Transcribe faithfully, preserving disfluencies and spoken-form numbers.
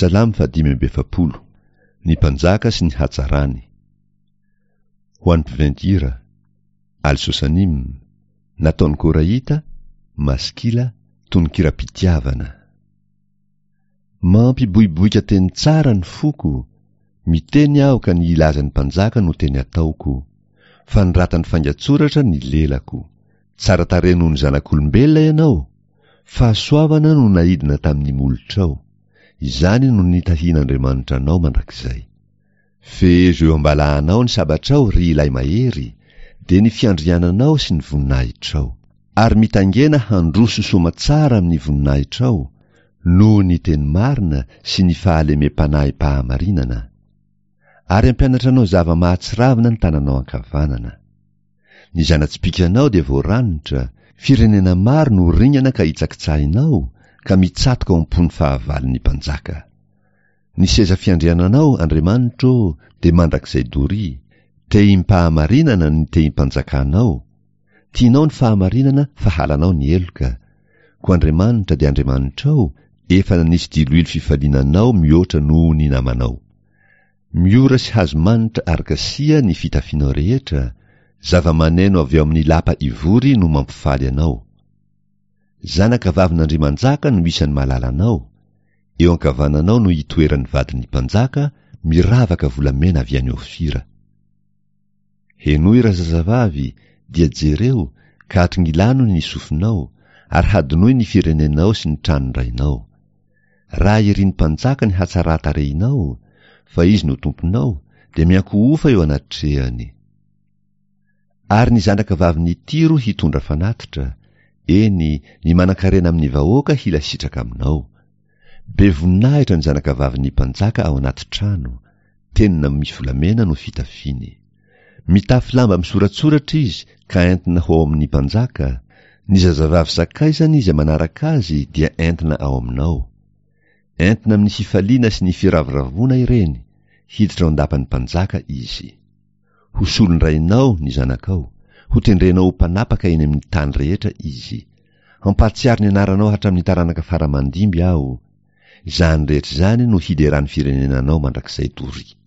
Salamo fahadimy amby efapolo. Ny mpanjaka sy ny hatsarany. Ho an'ny mpiventy hira, Al-Sosanim, nataon'i Korahita, Maskila, tononkiram-pitiavana. Mampiboiboika teny tsara ny foko, miteny aho ka ny hilaza ny mpanjaka no teny ataoko. Fanoratan'ny faingan-tsoratra ny lelako. Tsara tarehy noho ny zanak'olombelona ianao, fahasoavana no naidina tamin'ny molotrao. Izany no nitahian'Andriamanitra anao mandrakizay. Fehezo eo am-balahanao ny sabatrao, ry ilay mahery, dia ny fiandriananao sy ny voninahitrao. Ary mitangena handroso soamatsara amin'ny voninahitrao, noho ny teny marina sy ny fahalemem-panahim-pahamarinana. Ary hampianatra anao zava-mahatsiravina ny tananao ankavanana. Ny zana-tsipìkanao dia voaranitra, firenena maro no ringana ka hitsakitsahinao, ka mitsatoka ao am-pon'ny fahavalon'ny mpanjaka. Ny seza fiandriananao, Andriamanitro ô, dia mandrakizay doria, tehim-pahamarinana ny tehim-panjakanao, tianao ny fahamarinana fa halanao ny heloka, koa Andriamanitra dia Andriamanitrao, efa nanisy diloilo fifaliana anao mihoatra noho ny namanao. Miora sy hazo manitra ary kasia ny fitafianao rehetra, zava-maneno avy ao amin'ny lapa ivory no mampifaly anao. Zanaka vavin'Andriamanjaka no isan'ny malalanao, eo ankavananao no itoeran'ny vadin'ny mpanjaka, miravaka volamena avy any Ofira. Henoy razazavavy, dia jereo, ka atongilano ny sofinao, ary hadinoy ny firenenao sy ny tranon-drainao. Raha irin'ny mpanjaka ny hatsaran-tarehinao, fa izy no tomponao, dia miankohofa eo anatrehany. Ary ny zanaka vavin'i Tyro hitondra fanatitra, eny, ny manankarena amin'ny vahoaka hila sitraka aminao. Be voninahitra ny zanaka vavin'ny mpanjaka ao anaty trano, tenona misy volamena no fitafiny. Mitafy lamba misoratsoratra izy ka entina ho ao amin'ny mpanjaka, ny zazavavy sakaizany izay manaraka azy dia entina ao aminao. Entina amin'ny fifaliana sy ny firavoravoana ireny, hiditra ao an-dapan'ny mpanjaka izy. Ho solon-drainao ny zanakao, ho tendrenao ho mpanapaka eny amin'ny tany rehetra izy. Hampahatsiaro ny anaranao hatramin'ny taranaka fara-mandimby aho. Izany rehetra izany no hideran'ny firenena anao mandrakizay doria.